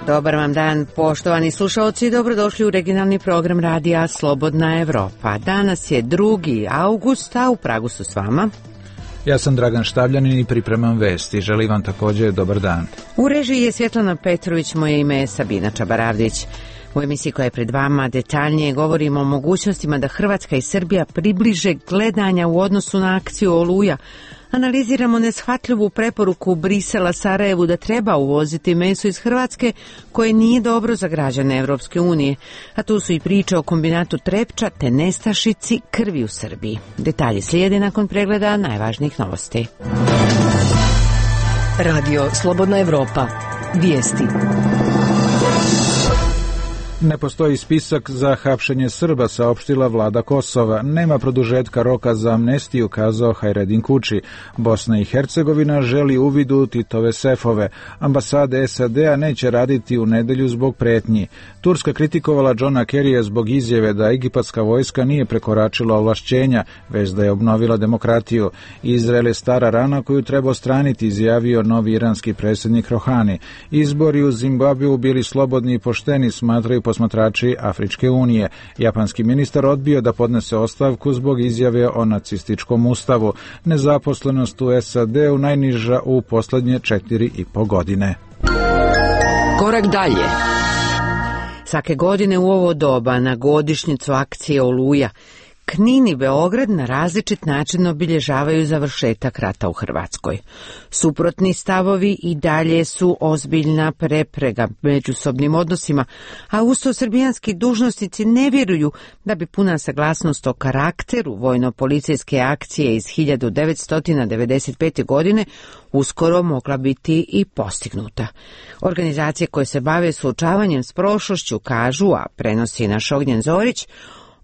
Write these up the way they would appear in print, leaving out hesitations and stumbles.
Dobar vam dan, poštovani slušalci, dobrodošli u regionalni program radija Slobodna Evropa. Danas je 2. august, a u Pragu su s vama. Ja sam Dragan Štavljanin i pripremam vesti. Želim vam također dobar dan. U režiji je Svjetlana Petrović, moje ime je Sabina Čabaravdić. U emisiji koja je pred vama detaljnije govorimo o mogućnostima da Hrvatska i Srbija približe gledanja u odnosu na akciju Oluja. Analiziramo neshvatljivu preporuku Brisela Sarajevu da treba uvoziti meso iz Hrvatske koje nije dobro za građane Evropske unije. A tu su i priče o kombinatu Trepča te nestašici krvi u Srbiji. Detalji slijede nakon pregleda najvažnijih novosti. Radio Slobodna Evropa. Vijesti. Ne postoji spisak za hapšenje Srba, saopštila vlada Kosova. Nema produžetka roka za amnestiju, kazao Hajredin Kuči. Bosna i Hercegovina želi uvid u Titove sefove. Ambasade SAD-a neće raditi u nedelju zbog pretnji. Turska kritikovala Johna Kerrya zbog izjave da egipatska vojska nije prekoračila ovlašćenja, već da je obnovila demokratiju. Izrael je stara rana koju treba odstraniti, izjavio novi iranski predsjednik Rohani. Izbori u Zimbabveu bili slobodni i pošteni, smatraju posmatrači Afričke unije. Japanski ministar odbio da podnese ostavku zbog izjave o nacističkom ustavu. Nezaposlenost u SAD-u najniža u posljednje 4,5 godine. Korak dalje. Svake godine u ovo doba na godišnjicu akcije Oluja Knin i Beograd na različit način obilježavaju završetak rata u Hrvatskoj. Suprotni stavovi i dalje su ozbiljna prepreka međusobnim odnosima, a usto srbijanski dužnosnici ne vjeruju da bi puna saglasnost o karakteru vojno-policijske akcije iz 1995. godine uskoro mogla biti i postignuta. Organizacije koje se bave suočavanjem s prošlošću kažu, a prenosi naš Ognjen Zorić,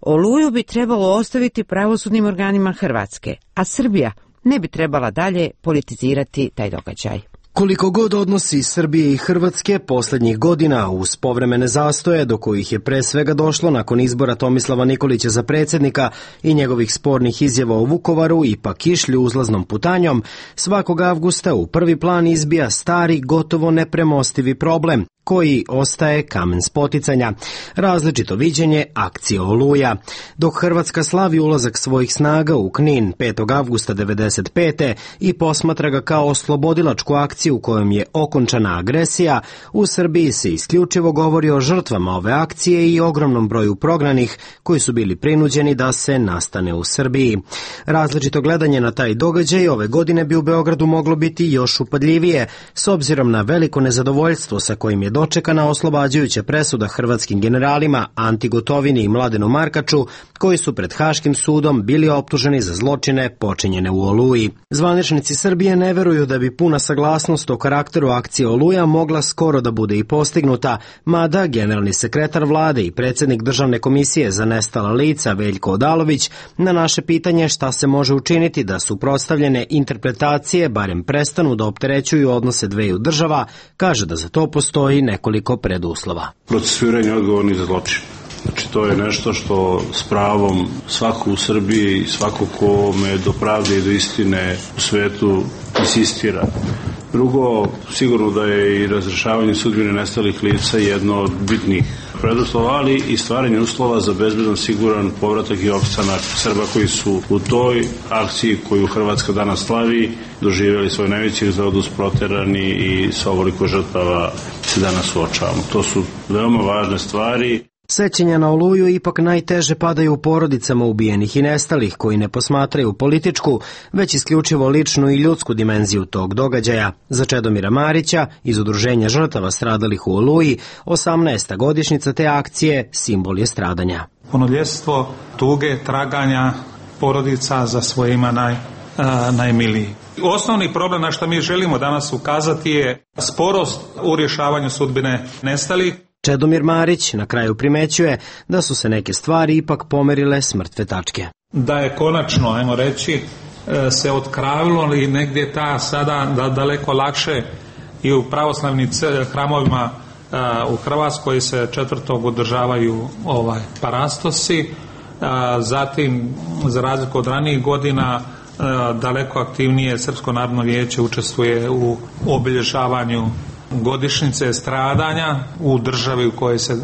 Oluju bi trebalo ostaviti pravosudnim organima Hrvatske, a Srbija ne bi trebala dalje politizirati taj događaj. Koliko god odnosi Srbije i Hrvatske posljednjih godina uz povremene zastoje do kojih je pre svega došlo nakon izbora Tomislava Nikolića za predsjednika i njegovih spornih izjava o Vukovaru ipak išli uzlaznom putanjom, svakog avgusta u prvi plan izbija stari, gotovo nepremostivi problem koji ostaje kamen spoticanja, različito viđenje akcije Oluja. Dok Hrvatska slavi ulazak svojih snaga u Knin 5. avgusta 1995. i posmatra ga kao oslobodilačku akciju u kojom je okončana agresija, u Srbiji se isključivo govori o žrtvama ove akcije i ogromnom broju prognanih koji su bili prinuđeni da se nastane u Srbiji. Različito gledanje na taj događaj ove godine bi u Beogradu moglo biti još upadljivije, s obzirom na veliko nezadovoljstvo sa kojim je dočekana oslobađajuća presuda hrvatskim generalima Anti Gotovini i Mladenu Markaču, koji su pred Haškim sudom bili optuženi za zločine počinjene u Oluji. Zvaničnici Srbije ne veruju da bi puna saglasnost o karakteru akcije Oluja mogla skoro da bude i postignuta, mada generalni sekretar vlade i predsjednik Državne komisije za nestala lica Veljko Odalović na naše pitanje šta se može učiniti da suprotstavljene interpretacije barem prestanu da opterećuju odnose dveju država, kaže da za to postoji nekoliko preduslova. Procesuiranje odgovornih za zločin. Znači, to je nešto što s pravom svako u Srbiji i svako kome do pravde i do istine u svetu insistira. Drugo, sigurno da je i razrešavanje sudbine nestalih lica jedno od bitnih preduslova, ali i stvaranje uslova za bezbedan, siguran povratak i opstanak Srba koji su u toj akciji koju Hrvatska danas slavi doživjeli svoj najveći egzodus, proterani i sa ovoliko žrtava se danas suočavamo. To su veoma važne stvari. Sećanja na Oluju ipak najteže padaju u porodicama ubijenih i nestalih koji ne posmatraju političku, već isključivo ličnu i ljudsku dimenziju tog događaja. Za Čedomira Marića iz Udruženja žrtava stradalih u Oluji, 18. godišnjica te akcije simbol je stradanja. Punoljetstvo, tuge, traganja porodica za svojima najmiliji. Osnovni problem na što mi želimo danas ukazati je sporost u rješavanju sudbine nestalih. Čedomir Marić na kraju primećuje da su se neke stvari ipak pomerile s mrtve tačke. Da je konačno, ajmo reći, se otkravilo i negdje ta sada daleko lakše i u pravoslavnim hramovima u Hrvatskoj se 4. održavaju parastosi, zatim za razliku od ranijih godina daleko aktivnije Srpsko narodno vijeće učestvuje u obilježavanju godišnjice stradanja u državi u kojoj se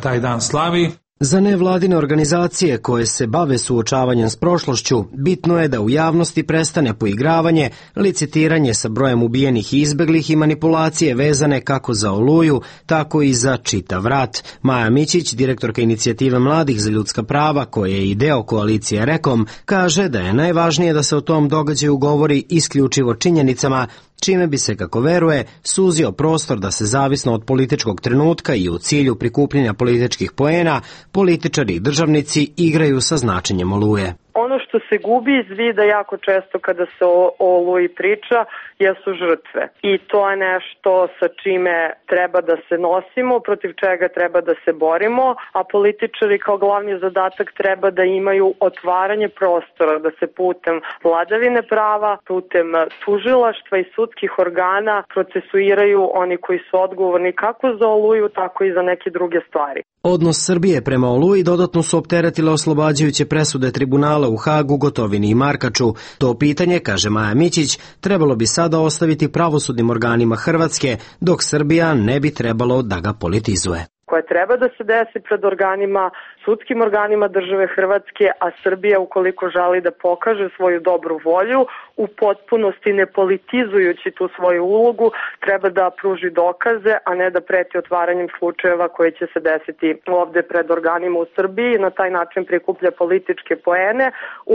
taj dan slavi. Za nevladine organizacije koje se bave suočavanjem s prošlošću, bitno je da u javnosti prestane poigravanje, licitiranje sa brojem ubijenih i izbeglih i manipulacije vezane kako za Oluju, tako i za čitav rat. Maja Mićić, direktorka inicijative Mladih za ljudska prava, koje je i deo koalicije Rekom, kaže da je najvažnije da se o tom događaju govori isključivo činjenicama, čime bi se, kako veruje, suzio prostor da se zavisno od političkog trenutka i u cilju prikupljanja političkih poena, političari i državnici igraju sa značenjem Oluje. Ono što se gubi iz vida jako često kada se o Oluji priča jesu žrtve. I to je nešto sa čime treba da se nosimo, protiv čega treba da se borimo, a političari kao glavni zadatak treba da imaju otvaranje prostora, da se putem vladavine prava, putem tužilaštva i sudskih organa procesuiraju oni koji su odgovorni kako za Oluju, tako i za neke druge stvari. Odnos Srbije prema Oluji dodatno su opteretile oslobađajuće presude tribunala u Hagu, Gotovini i Markaču. To pitanje, kaže Maja Mićić, trebalo bi sada ostaviti pravosudnim organima Hrvatske, dok Srbija ne bi trebalo da ga politizuje. Koje treba da se desi pred organima, sudskim organima države Hrvatske, a Srbija, ukoliko želi da pokaže svoju dobru volju, u potpunosti ne politizujući tu svoju ulogu, treba da pruži dokaze, a ne da preti otvaranjem slučajeva koji će se desiti ovde pred organima u Srbiji. Na taj način prikuplja političke poene,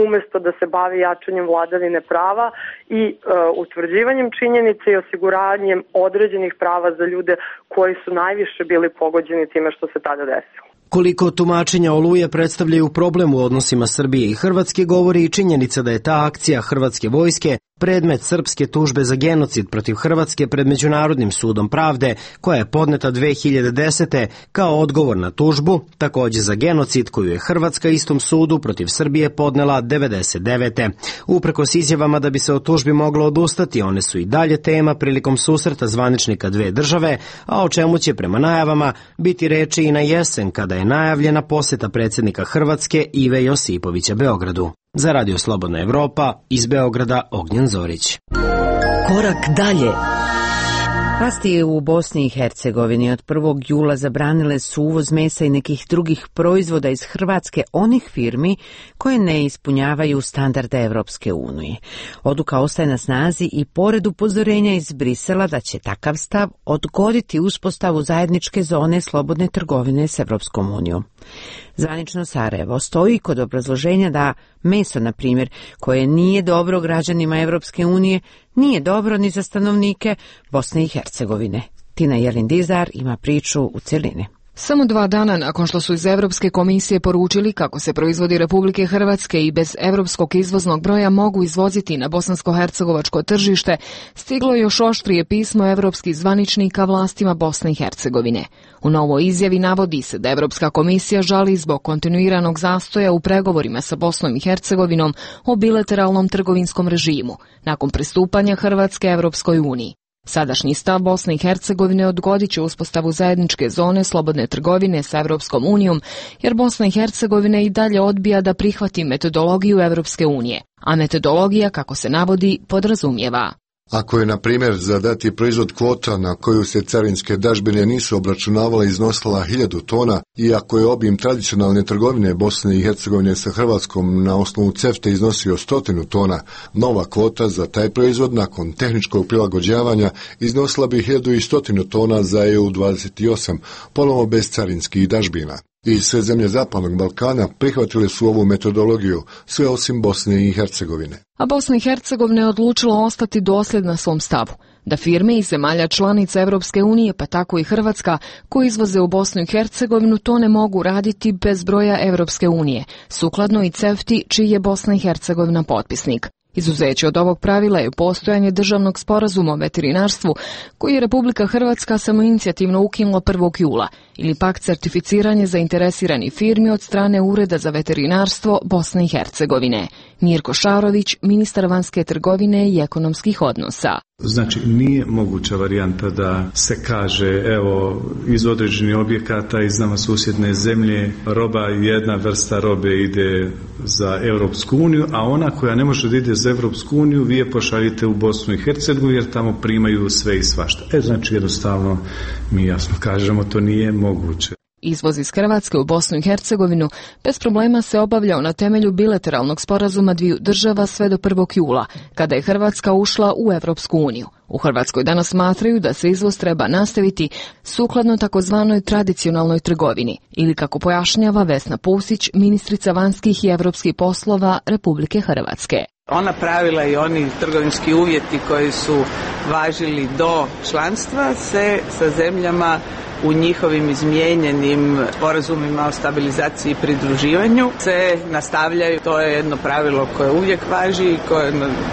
umesto da se bavi jačanjem vladavine prava i utvrđivanjem činjenica i osiguravanjem određenih prava za ljude koji su najviše bili pogođeni time što se tada desilo. Koliko tumačenja Oluje predstavljaju problem u odnosima Srbije i Hrvatske govori i činjenica da je ta akcija hrvatske vojske predmet srpske tužbe za genocid protiv Hrvatske pred Međunarodnim sudom pravde, koja je podneta 2010. kao odgovor na tužbu, takođe za genocid koju je Hrvatska istom sudu protiv Srbije podnela 99. Uprkos izjavama da bi se od tužbi moglo odustati, one su i dalje tema prilikom susreta zvaničnika dve države, a o čemu će prema najavama biti reči i na jesen kada je najavljena poseta predsjednika Hrvatske Ive Josipovića Beogradu. Za Radio Slobodna Evropa, iz Beograda Ognjen Zorić. Korak dalje. Vlasti u Bosni i Hercegovini od 1. jula zabranile su uvoz mesa i nekih drugih proizvoda iz Hrvatske onih firmi koje ne ispunjavaju standarde Evropske unije. Odluka ostaje na snazi i pored upozorenja iz Brisela da će takav stav odgoditi uspostavu zajedničke zone slobodne trgovine s Evropskom unijom. Zvanično Sarajevo stoji kod obrazloženja da meso, na primjer, koje nije dobro građanima Evropske unije, nije dobro ni za stanovnike Bosne i Hercegovine. Tina Jelin-Dizar ima priču u cjelini. Samo 2 dana nakon što su iz Evropske komisije poručili kako se proizvodi Republike Hrvatske i bez evropskog izvoznog broja mogu izvoziti na bosansko-hercegovačko tržište, stiglo još oštrije pismo evropskih zvaničnika vlastima Bosne i Hercegovine. U novoj izjavi navodi se da Evropska komisija žali zbog kontinuiranog zastoja u pregovorima sa Bosnom i Hercegovinom o bilateralnom trgovinskom režimu nakon pristupanja Hrvatske Evropskoj uniji. Sadašnji stav Bosne i Hercegovine odgodit će uspostavu zajedničke zone slobodne trgovine sa Evropskom unijom, jer Bosna i Hercegovina i dalje odbija da prihvati metodologiju Evropske unije, a metodologija, kako se navodi, podrazumijeva: ako je, na primjer, za dati proizvod kvota na koju se carinske dažbine nisu obračunavale iznosila 1000 tona i ako je obim tradicionalne trgovine Bosne i Hercegovine sa Hrvatskom na osnovu CEFTA iznosio 100 tona, nova kvota za taj proizvod nakon tehničkog prilagođavanja iznosila bi 1100 tona za EU28, ponovo bez carinskih dažbina. I sve zemlje Zapadnog Balkana prihvatile su ovu metodologiju, sve osim Bosne i Hercegovine. A Bosna i Hercegovina je odlučila ostati dosljedna svom stavu, da firme iz zemalja članica Evropske unije, pa tako i Hrvatska, koji izvoze u Bosnu i Hercegovinu, to ne mogu raditi bez broja Evropske unije, sukladno i CEFTA-i, čiji je Bosna i Hercegovina potpisnik. Izuzeće od ovog pravila je postojanje državnog sporazuma o veterinarstvu, koji je Republika Hrvatska samoinicijativno ukinula 1. jula, ili pak certificiranje zainteresiranih firmi od strane Ureda za veterinarstvo Bosne i Hercegovine. Mirko Šarović, ministar vanjske trgovine i ekonomskih odnosa. Znači, nije moguća varijanta da se kaže, evo, iz određenih objekata iz nama susjedne zemlje roba, jedna vrsta robe ide za Europsku uniju, a ona koja ne može da ide za Europsku uniju, vi je pošaljite u Bosnu i Hercegovinu jer tamo primaju sve i svašta. Znači, jednostavno, mi jasno kažemo, to nije moguće. Izvoz iz Hrvatske u Bosnu i Hercegovinu bez problema se obavljao na temelju bilateralnog sporazuma dviju država sve do 1. jula, kada je Hrvatska ušla u Europsku uniju. U Hrvatskoj danas smatraju da se izvoz treba nastaviti sukladno takozvanoj tradicionalnoj trgovini, ili kako pojašnjava Vesna Pusić, ministrica vanjskih i europskih poslova Republike Hrvatske. Ona pravila i oni trgovinski uvjeti koji su važili do članstva se sa zemljama u njihovim izmijenjenim sporazumima o stabilizaciji i pridruživanju se nastavljaju. To je jedno pravilo koje uvijek važi i koje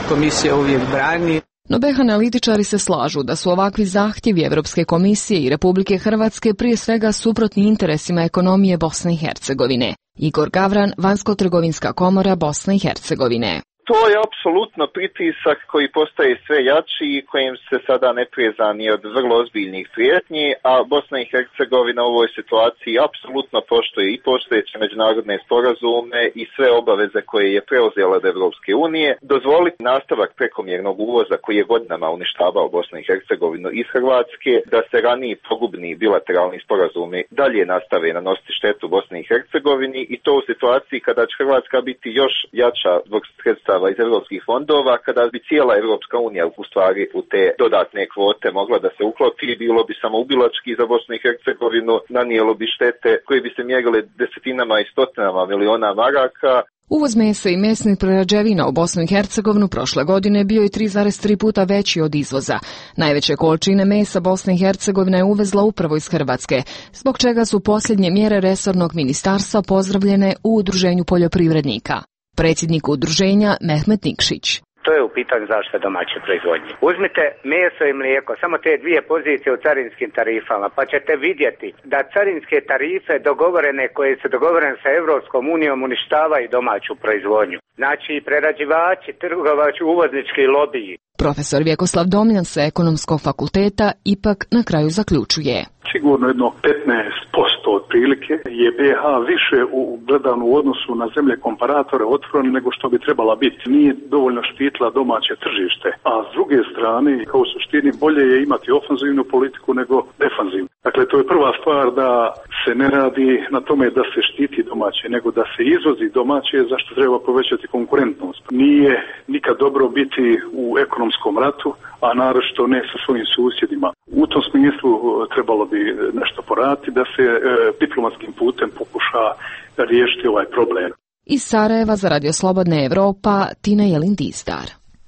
komisija uvijek brani. No BiH analitičari se slažu da su ovakvi zahtjevi Europske komisije i Republike Hrvatske prije svega suprotni interesima ekonomije Bosne i Hercegovine. Igor Gavran, Vanjsko-trgovinska komora Bosne i Hercegovine. To je apsolutno pritisak koji postaje sve jači i kojim se sada ne prijeza ni od vrlo ozbiljnih prijetnji, a Bosna i Hercegovina u ovoj situaciji apsolutno poštuje i postojeće međunarodne sporazume i sve obaveze koje je preuzela od Evropske unije. Dozvoliti nastavak prekomjernog uvoza koji je godinama uništavao Bosnu i Hercegovinu iz Hrvatske, da se raniji pogubni bilateralni sporazumi dalje nastave nanositi štetu Bosni i Hercegovini i to u situaciji kada će Hrvatska biti još jača zbog sredstva iz evropskih fondova, kada bi cijela Evropska unija u stvari u te dodatne kvote mogla da se uklopi, bilo bi samoubilački za Bosnu i Hercegovinu, nanijelo bi štete koje bi se mjerile desetinama i stotinama miliona maraka. Uvoz mesa i mesnih prerađevina u Bosnu i Hercegovinu prošle godine bio je 3,3 puta veći od izvoza. Najveće količine mesa Bosna i Hercegovina je uvezla upravo iz Hrvatske, zbog čega su posljednje mjere resornog ministarstva pozdravljene u Udruženju poljoprivrednika. Predsjednik udruženja Mehmet Nikšić. To je u pitanju zaštite domaće proizvodnje. Uzmite meso i mlijeko, samo te dvije pozicije u carinskim tarifama, pa ćete vidjeti da carinske tarife dogovorene, koje su dogovorene sa Evropskom unijom, uništavaju domaću proizvodnju. Znači, prerađivači, trgovači, uvoznički lobiji. Profesor Vjekoslav Domljan sa Ekonomskog fakulteta ipak na kraju zaključuje. Sigurno jedno 15% otprilike je BiH više gledano u odnosu na zemlje komparatore otvorene nego što bi trebala biti. Nije dovoljno štitila domaće tržište, a s druge strane, kao u suštini, bolje je imati ofanzivnu politiku nego defanzivnu. Dakle, to je prva stvar, da se ne radi na tome da se štiti domaće, nego da se izvozi domaće, zašto treba povećati konkurentnost. Nije nikad dobro biti u ekonomskom ratu, a naročito ne sa svojim susjedima. U tom smislu trebalo bi nešto poraditi da se diplomatskim putem pokuša riješiti ovaj problem. Iz Sarajeva za Radio Slobodna Evropa, Tina Jelin-Dizdar.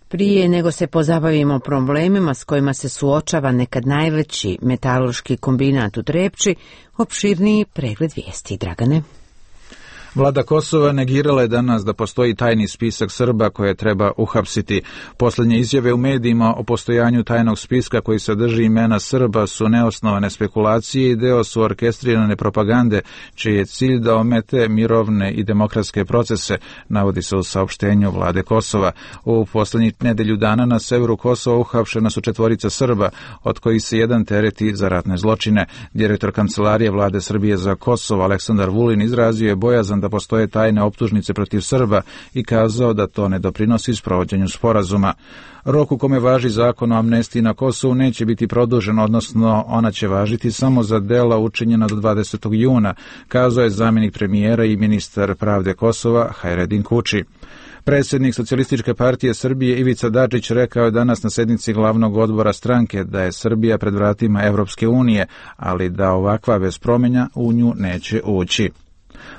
Prije nego se pozabavimo problemima s kojima se suočava nekad najveći metalurški kombinat u Trepči, opširniji pregled vijesti. Dragane. Vlada Kosova negirala je danas da postoji tajni spisak Srba koje treba uhapsiti. Posljednje izjave u medijima o postojanju tajnog spiska koji sadrži imena Srba su neosnovane spekulacije i deo su orkestrirane propagande, čiji je cilj da omete mirovne i demokratske procese, navodi se u saopštenju Vlade Kosova. U posljednjih nedelju dana na severu Kosova uhapšena su 4 Srba, od kojih se jedan tereti za ratne zločine. Direktor Kancelarije Vlade Srbije za Kosovo Aleksandar Vulin izrazio je bojazan da postoje tajne optužnice protiv Srba i kazao da to ne doprinosi sprovođenju sporazuma. Rok u kome važi zakon o amnestiji na Kosovu neće biti produžen, odnosno ona će važiti samo za dela učinjena do 20. juna, kazao je zamjenik premijera i ministar pravde Kosova Hajredin Kuči. Predsjednik Socijalističke partije Srbije Ivica Dačić rekao je danas na sjednici glavnog odbora stranke da je Srbija pred vratima Evropske unije, ali da ovakva bez promjena u nju neće ući.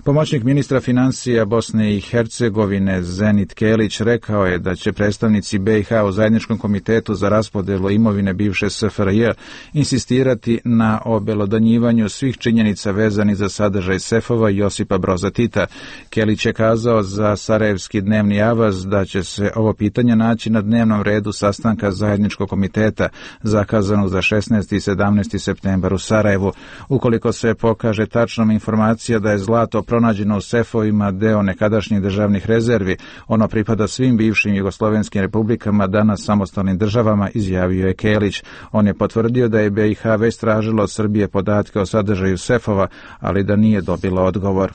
Pomoćnik ministra financija Bosne i Hercegovine Zenit Kelić rekao je da će predstavnici BiH u zajedničkom komitetu za raspodelu imovine bivše SFRJ insistirati na obelodanjivanju svih činjenica vezanih za sadržaj sefova Josipa Broza Tita. Kelić je kazao za Sarajevski dnevni avaz da će se ovo pitanje naći na dnevnom redu sastanka zajedničkog komiteta zakazanog za 16. i 17. septembar u Sarajevu. Ukoliko se pokaže tačnom informacija da je zlato zlato pronađeno u sefovima deo nekadašnjih državnih rezervi. Ono pripada svim bivšim jugoslovenskim republikama, danas samostalnim državama, izjavio je Kelić. On je potvrdio da je BiH već tražilo od Srbije podatke o sadržaju sefova, ali da nije dobilo odgovor.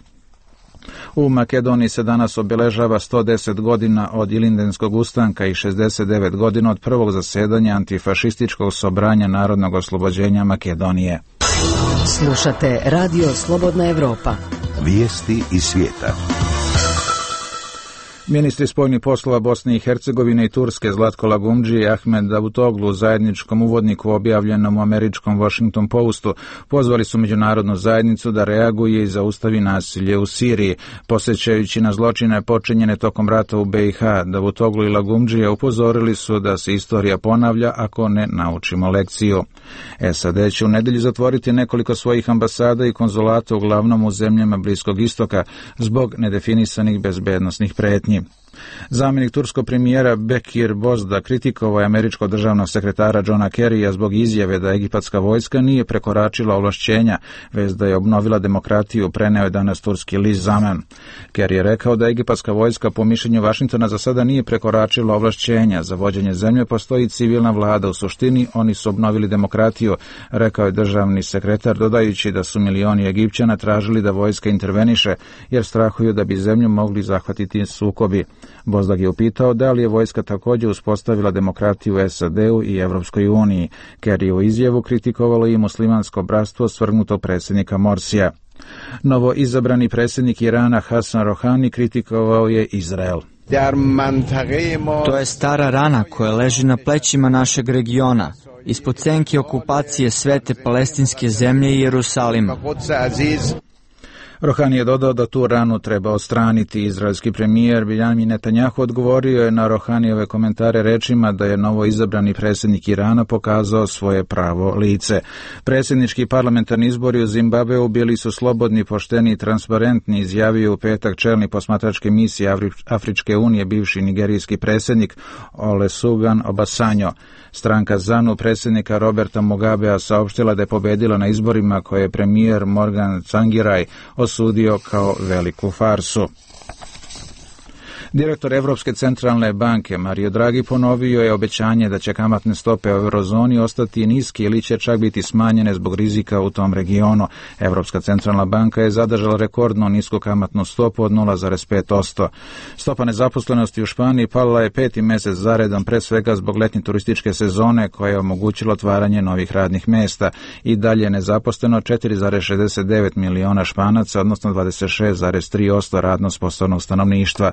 U Makedoniji se danas obeležava 110 godina od Ilindenskog ustanka i 69 godina od prvog zasedanja antifašističkog sobranja narodnog oslobođenja Makedonije. Slušate Radio Slobodna Evropa. Vijesti iz svijeta. Ministri spoljnih poslova Bosne i Hercegovine i Turske Zlatko Lagumdži i Ahmed Davutoglu u zajedničkom uvodniku objavljenom u američkom Washington Postu pozvali su međunarodnu zajednicu da reaguje i zaustavi nasilje u Siriji. Posjećajući na zločine počinjene tokom rata u BiH, Davutoglu i Lagumdžija upozorili su da se istorija ponavlja ako ne naučimo lekciju. SAD će u nedjelju zatvoriti nekoliko svojih ambasada i konzulata uglavnom u zemljama Bliskog istoka zbog nedefinisanih bezbednosnih pretnji. Zamjenik turskog premijera Bekir Bozda kritikovao je američkog državnog sekretara Johna Kerrya zbog izjave da egipatska vojska nije prekoračila ovlašćenja, već da je obnovila demokratiju, preneo je danas turski list Zaman. Kerry je rekao da egipatska vojska po mišljenju Vašingtona za sada nije prekoračila ovlašćenja. Za vođenje zemlje postoji civilna vlada, u suštini oni su obnovili demokratiju, rekao je državni sekretar, dodajući da su milioni Egipćana tražili da vojska interveniše jer strahuju da bi zemlju mogli zahvatiti sukobi. Bozdag je upitao da li je vojska također uspostavila demokratiju u SAD-u i Evropskoj uniji. Kerry u izjavu kritikovalo i muslimansko bratstvo svrgnutog predsjednika Morsija. Novo izabrani predsjednik Irana Hasan Rohani kritikovao je Izrael. To je stara rana koja leži na plećima našeg regiona, ispod senke okupacije svete palestinske zemlje i Jerusalima. Rohani je dodao da tu ranu treba odstraniti. Izraelski premijer Benjamin Netanjahu odgovorio je na Rohanijeve komentare rečima da je novo izabrani predsjednik Irana pokazao svoje pravo lice. Predsjednički i parlamentarni izbori u Zimbabveu bili su slobodni, pošteni i transparentni, izjavio u petak čelni posmatračke misije Afričke unije, bivši nigerijski predsjednik Olusegun Obasanjo. Stranka ZANU predsjednika Roberta Mugabea saopštila da je pobedila na izborima koje je premijer Morgan Tsvangirai osudio kao veliku farsu. Direktor Evropske centralne banke Mario Draghi ponovio je obećanje da će kamatne stope u eurozoni ostati niske ili će čak biti smanjene zbog rizika u tom regionu. Evropska centralna banka je zadržala rekordno nisku kamatnu stopu od 0,5%. Stopa nezaposlenosti u Španiji pala je 5. mjesec zaredom, pre svega zbog letnje turističke sezone koja je omogućila otvaranje novih radnih mjesta. I dalje je nezaposleno 4,69 miliona Španaca, odnosno 26,3% radno sposobnog stanovništva.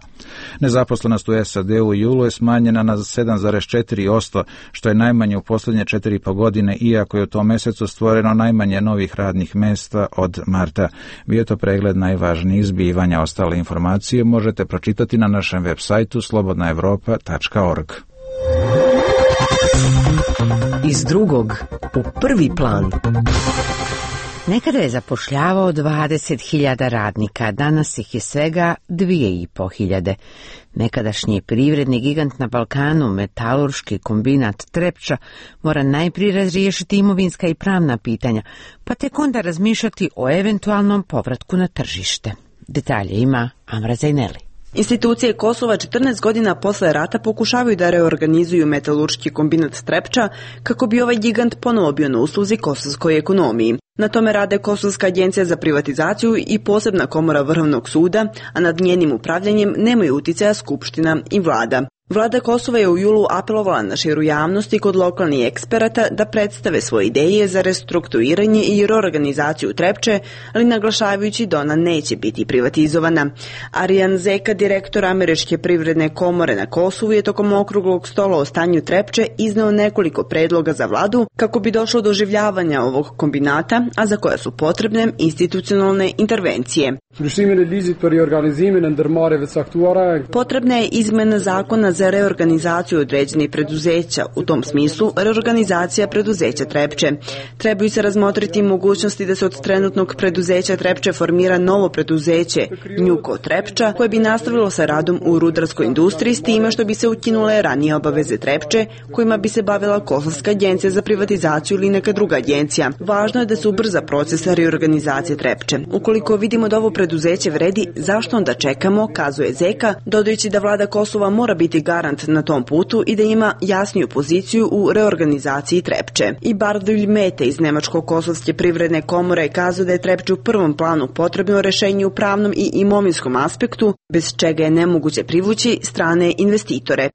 Nezaposlenost u SAD-u u julu je smanjena na 7,4%, što je najmanje u posljednje 4,5 godine, iako je u tom mjesecu stvoreno najmanje novih radnih mjesta od marta. Bio to pregled najvažnijih zbivanja. Ostale informacije možete pročitati na našem web sajtu slobodnaevropa.org. Iz drugog u prvi plan. Nekada je zapošljavao 20.000 radnika, danas ih je svega 2.500. Nekadašnji privredni gigant na Balkanu, metalurški kombinat Trepča, mora najprije razriješiti imovinska i pravna pitanja, pa tek onda razmišljati o eventualnom povratku na tržište. Detalje ima Amra Zajneli. Institucije Kosova 14 godina posle rata pokušavaju da reorganizuju metalurški kombinat Trepča kako bi ovaj gigant ponovo bio na usluzi kosovskoj ekonomiji. Na tome rade Kosovska agencija za privatizaciju i posebna komora Vrhovnog suda, a nad njenim upravljanjem nemaju uticaja Skupština i vlada. Vlada Kosova je u julu apelovala na širu javnost i kod lokalnih eksperata da predstave svoje ideje za restrukturiranje i reorganizaciju Trepče, ali naglašavajući da ona neće biti privatizovana. Arjan Zeka, direktor Američke privredne komore na Kosovu, je tokom okruglog stola o stanju Trepče izneo nekoliko predloga za vladu kako bi došlo do oživljavanja ovog kombinata, a za koja su potrebne institucionalne intervencije. Potrebna je izmena zakona za za reorganizaciju određenih preduzeća, u tom smislu reorganizacija preduzeća Trepče. Trebaju se razmotriti mogućnosti da se od trenutnog preduzeća Trepče formira novo preduzeće Njuko Trepča, koje bi nastavilo sa radom u rudarskoj industriji s time što bi se ukinule ranije obaveze Trepče, kojima bi se bavila Kosovska agencija za privatizaciju ili neka druga agencija. Važno je da se ubrza proces reorganizacije Trepče. Ukoliko vidimo da ovo preduzeće vredi, zašto onda čekamo, kazuje Zeka, dodajući da vlada Kosova mora biti garant na tom putu i da ima jasniju poziciju u reorganizaciji Trepče. I Bardulj Mete iz Nemačko-Kosovske privredne komore kazuje da je Trepče u prvom planu potrebno rešenje u pravnom i imovinskom aspektu, bez čega je nemoguće privući strane investitore.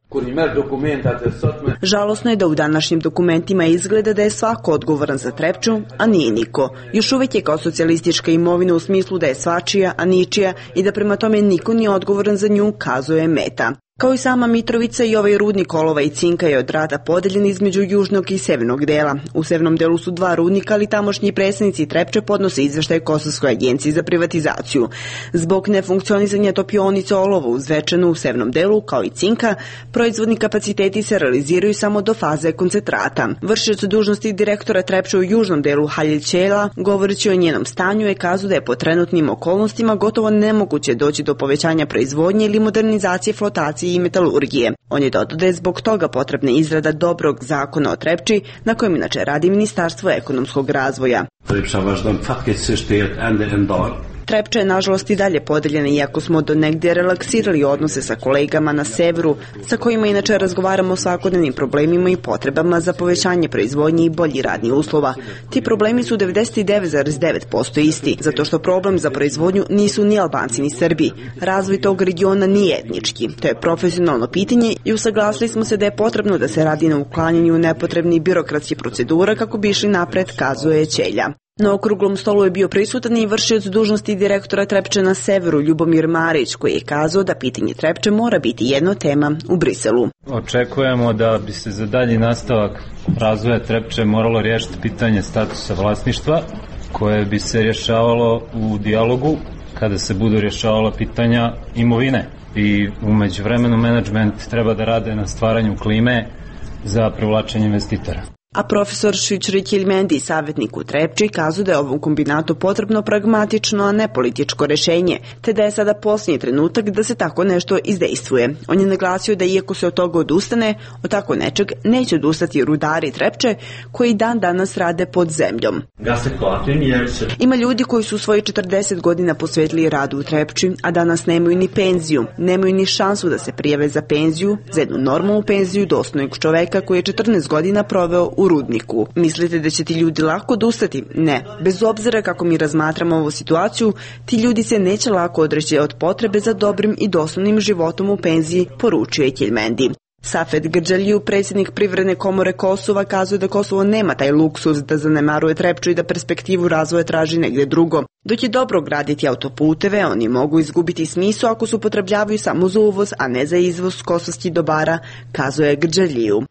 Žalosno je da u današnjim dokumentima izgleda da je svako odgovoran za Trepču, a nije niko. Još uvijek je kao socijalistička imovina u smislu da je svačija, a ničija i da prema tome niko nije odgovoran za nju, kazuje Meta. Kao i sama Mitrovica, i ovaj rudnik olova i cinka je od rata podeljen između južnog i severnog dela. U severnom delu su 2 rudnika, ali tamošnji predstavnici Trepče podnose izveštaj Kosovskoj agenciji za privatizaciju. Zbog nefunkcionisanja topionice olova u Zvečanu u severnom delu, kao i cinka, proizvodni kapaciteti se realiziraju samo do faze koncentrata. Vršioc dužnosti direktora Trepče u južnom delu Halil Ćela, govoreći o njenom stanju, je kazao da je po trenutnim okolnostima gotovo nemoguće doći do povećanja proizvodnje ili modernizacije flotacije i metalurgije. On je dodao da je zbog toga potrebna izrada dobrog zakona o Trepči, na kojem inače radi Ministarstvo ekonomskog razvoja. Trepča je nažalost i dalje podeljena, iako smo do negdje relaksirali odnose sa kolegama na severu, sa kojima inače razgovaramo o svakodnevnim problemima i potrebama za povećanje proizvodnje i bolji radni uslova. Ti problemi su 99,9% isti, zato što problem za proizvodnju nisu ni Albanci ni Srbi. Razvoj tog regiona nije etnički. To je profesionalno pitanje i usaglasili smo se da je potrebno da se radi na uklanjanju nepotrebnih birokratskih procedura kako bi išli napred, kazuje Ćelja. Na okruglom stolu je bio prisutan i vršioc dužnosti direktora Trepče na severu Ljubomir Marić, koji je kazao da pitanje Trepče mora biti jedna tema u Briselu. Očekujemo da bi se za dalji nastavak razvoja Trepče moralo riješiti pitanje statusa vlasništva, koje bi se rješavalo u dijalogu kada se budu rješavala pitanja imovine. I u međuvremenu menadžment treba da rade na stvaranju klime za privlačenje investitora. A profesor Švičri Kilmendi, savjetnik u Trepči, kazuje da je ovom kombinatu potrebno pragmatično, a ne političko rešenje, te da je sada posljednji trenutak da se tako nešto izdejstvuje. On je naglasio da iako se od toga odustane, od tako nečeg neće odustati rudari Trepče, koji dan danas rade pod zemljom. Ima ljudi koji su svoji 40 godina posvetili radu u Trepči, a danas nemaju ni penziju, nemaju ni šansu da se prijave za penziju, za jednu normalnu penziju dostojnog čoveka koji je 14 godina proveo u rudniku. Mislite da će ti ljudi lako odustati? Ne. Bez obzira kako mi razmatramo ovu situaciju, ti ljudi se neće lako odreći od potrebe za dobrim i dostojnim životom u penziji, poručio je Kilmendi. Safet Grđaliju, predsjednik Privredne komore Kosova, kazuje da Kosovo nema taj luksuz da zanemaruje Trepču i da perspektivu razvoja traži negdje drugo. Dok je dobro graditi autoputeve, oni mogu izgubiti smisao ako se upotrebljavaju samo za uvoz, a ne za izvoz kosovskih dobara, kazuje Grđaliju.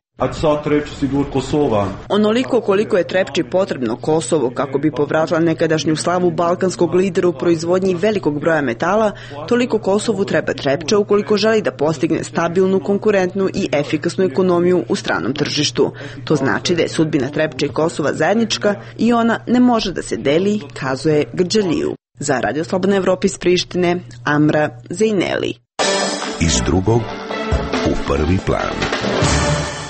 Onoliko koliko je Trepči potrebno Kosovo kako bi povratila nekadašnju slavu balkanskog lidera u proizvodnji velikog broja metala, toliko Kosovu treba Trepča ukoliko želi da postigne stabilnu, konkurentnu i efikasnu ekonomiju u stranom tržištu. To znači da je sudbina Trepče i Kosova zajednička i ona ne može da se deli, kazuje Grđaliju. Za Radio Slobodna Evropa iz Prištine, Amra Zejneli. Iz drugog u prvi plan.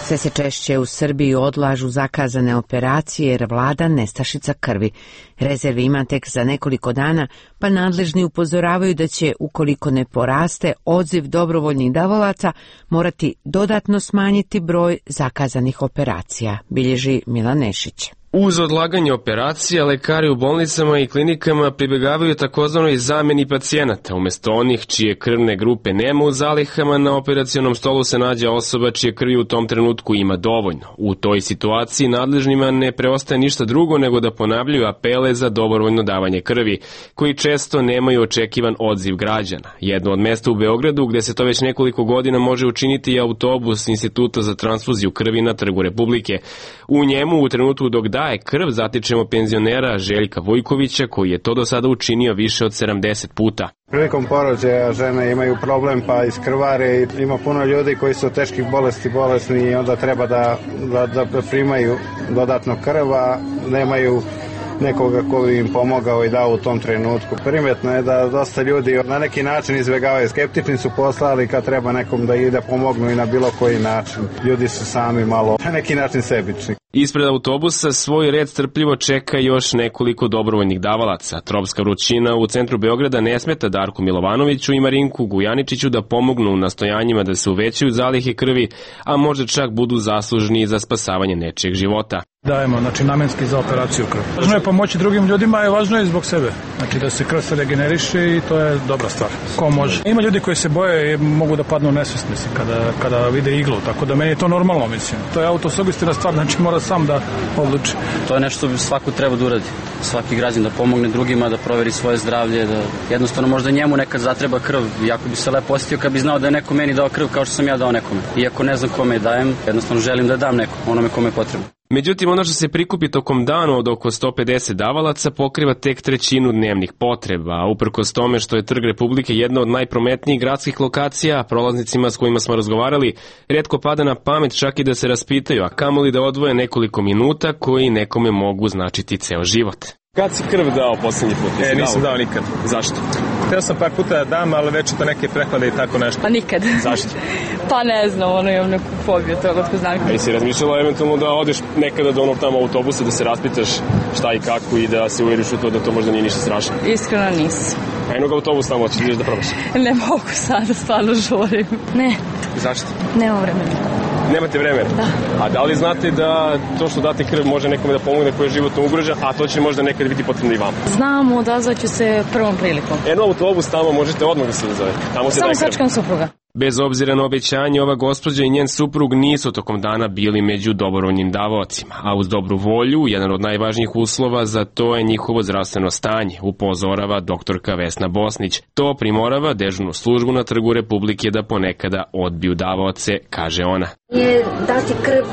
Sve se češće u Srbiji odlažu zakazane operacije jer vlada nestašica krvi. Rezervi ima tek za nekoliko dana, pa nadležni upozoravaju da će, ukoliko ne poraste odziv dobrovoljnih davalaca, morati dodatno smanjiti broj zakazanih operacija, bilježi Milan Nešić. Uz odlaganje operacija, lekari u bolnicama i klinikama pribjegavaju takozvanoj zamjeni pacijenata. Umjesto onih čije krvne grupe nema u zalihama, na operacionom stolu se nađe osoba čije krvi u tom trenutku ima dovoljno. U toj situaciji nadležnima ne preostaje ništa drugo nego da ponavljaju apele za dobrovoljno davanje krvi, koji često nemaju očekivan odziv građana. Jedno od mjesta u Beogradu gdje se to već nekoliko godina može učiniti je autobus Instituta za transfuziju krvi na Trgu Republike. U njemu u trenutku dok daje krv zatičemo penzionera Željka Vujkovića, koji je to do sada učinio više od 70 puta. Prilikom porođaja žene imaju problem pa iskrvare i ima puno ljudi koji su teških bolesni i onda treba da primaju dodatno krv, a nemaju nekoga ko bi im pomogao i dao u tom trenutku. Primetno je da dosta ljudi na neki način izbjegavaju. Skeptični su poslali kad treba nekom da ide pomognu i na bilo koji način. Ljudi su sami malo na neki način sebični. Ispred autobusa svoj red strpljivo čeka još nekoliko dobrovoljnih davalaca. Tropska vrućina u centru Beograda ne smeta Darku Milovanoviću i Marinku Gujaničiću da pomognu u nastojanjima da se uvećaju zalihe krvi, a možda čak budu zaslužni za spasavanje nečijeg života. Dajemo, namenski za operaciju krvi. Važno je pomoći drugim ljudima, a važno je i zbog sebe. Da se krv se regeneriše i to je dobra stvar. Ko može. Ima ljudi koji se boje i mogu da padnu u nesvest, mislim, kada vide iglu, tako da meni je to normalno, mislim. To je autosugestivna stvar, znači mora sam da odluči. To je nešto što svako treba da uradi. Svaki građan da pomogne drugima, da proveri svoje zdravlje, da jednostavno možda njemu nekad zatreba krv. Jako bi se lepo osjetio kad bi znao da je neko meni dao krv kao što sam ja dao nekome. Iako ne znam kome je dajem, jednostavno želim da dam nekom, onome kome je potrebno. Međutim, ono što se prikupi tokom dana od oko 150 davalaca pokriva tek trećinu dnevnih potreba, a uprkos tome što je Trg Republike jedna od najprometnijih gradskih lokacija, prolaznicima s kojima smo razgovarali, rijetko pada na pamet čak i da se raspitaju, a kamoli da odvoje nekoliko minuta koji nekome mogu značiti ceo život. Kad si krv dao posljednji put? Nisam dao nikad. Zašto? Htio sam par puta da dam, ali već to neke prehlade i tako nešto. Pa nikad. Zašto? Pa ne znam, imam neku fobiju toga od ko znam. A jesi razmišljala eventualno da odeš nekada do onog tamo autobusa da se raspitaš šta i kako i da se uvjeriš u to da to možda nije ništa strašno? Iskreno nisam. A jednog autobus tamo ćeš da probaš? Ne mogu sada, stvarno žurim. Ne. Zašto? Nemam vremena. Nemate vremena? Da. A da li znate da to što date krv može nekome da pomogne koji je životno ugrožen, a to će možda nekad biti potrebno i vama? Znam, odazvaću se prvom prilikom. Autobus tamo možete odmah da se odazove. Samo sačekam supruga. Bez obzira na obećanje, ova gospođa i njen suprug nisu tokom dana bili među dobrovoljnim davaocima, a uz dobru volju, jedan od najvažnijih uslova za to je njihovo zdravstveno stanje, upozorava doktorka Vesna Bosnić. To primorava dežurnu službu na Trgu Republike da ponekada odbiju davaoce, kaže ona. Je dati krv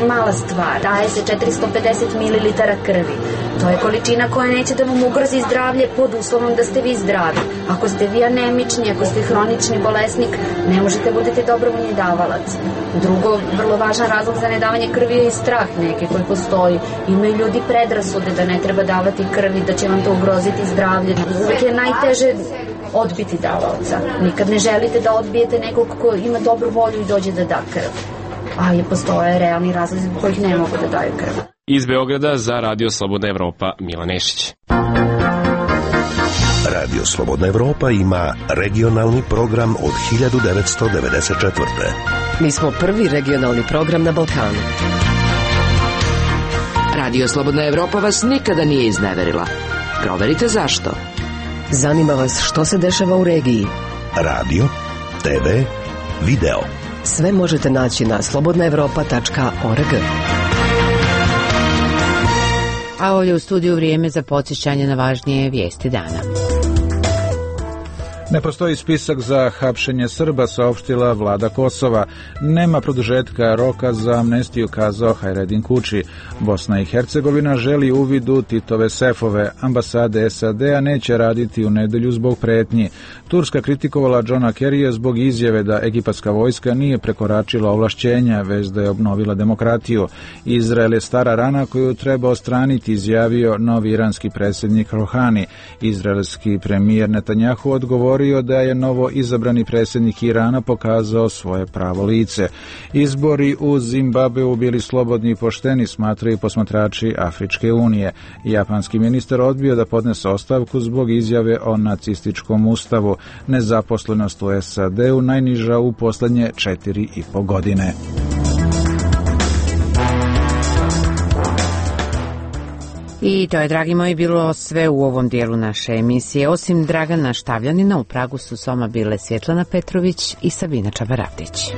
mala stvar, daje se 450 ml krvi. To je količina koja neće da vam ugrozi zdravlje pod uslovom da ste vi zdravi. Ako ste vi anemični, ako ste hronični bolesnik, ne možete budete dobrovoljni davalac. Drugo, vrlo važan razlog za nedavanje krvi je i strah neki koji postoji. Imaju ljudi predrasude da ne treba davati krvi, da će vam to ugroziti zdravlje. Uvijek je najteže odbiti davaoca. Nikad ne želite da odbijete nekog ko ima dobru volju i dođe da da krv. Ali postoje realni razlozi zbog kojih ne mogu da daju krv. Iz Beograda za Radio Slobodna Evropa, Milan Nešić. Radio Slobodna Evropa ima regionalni program od 1994. Mi smo prvi regionalni program na Balkanu. Radio Slobodna Evropa vas nikada nije izneverila. Proverite zašto. Zanima vas što se dešava u regiji. Radio, TV, video. Sve možete naći na slobodnaevropa.org. A ovdje u studiju vrijeme za podsjećanje na važnije vijesti dana. Ne postoji spisak za hapšenje Srba, saopštila vlada Kosova. Nema produžetka roka za amnestiju, kazao Hajredin Kuči. Bosna i Hercegovina želi uvid u Titove sefove. Ambasade SAD-a neće raditi u nedelju zbog pretnji. Turska kritikovala Johna Kerrya zbog izjave da egipatska vojska nije prekoračila ovlašćenja, već da je obnovila demokratiju. Izrael je stara rana koju treba odstraniti, izjavio novi iranski predsjednik Rohani. Izraelski premijer Netanjahu odgovorio da je novo izabrani predsjednik Irana pokazao svoje pravo lice. Izbori u Zimbabveu bili slobodni i pošteni, smatraju posmatrači Afričke unije. Japanski ministar odbio da podnese ostavku zbog izjave o nacističkom ustavu. Nezaposlenost u SAD-u najniža u posljednje 4,5 godine. I to je, dragi moji, bilo sve u ovom dijelu naše emisije. Osim Dragana Štavljanina, u Pragu su s vama bile Svjetlana Petrović i Sabina Čabaratić.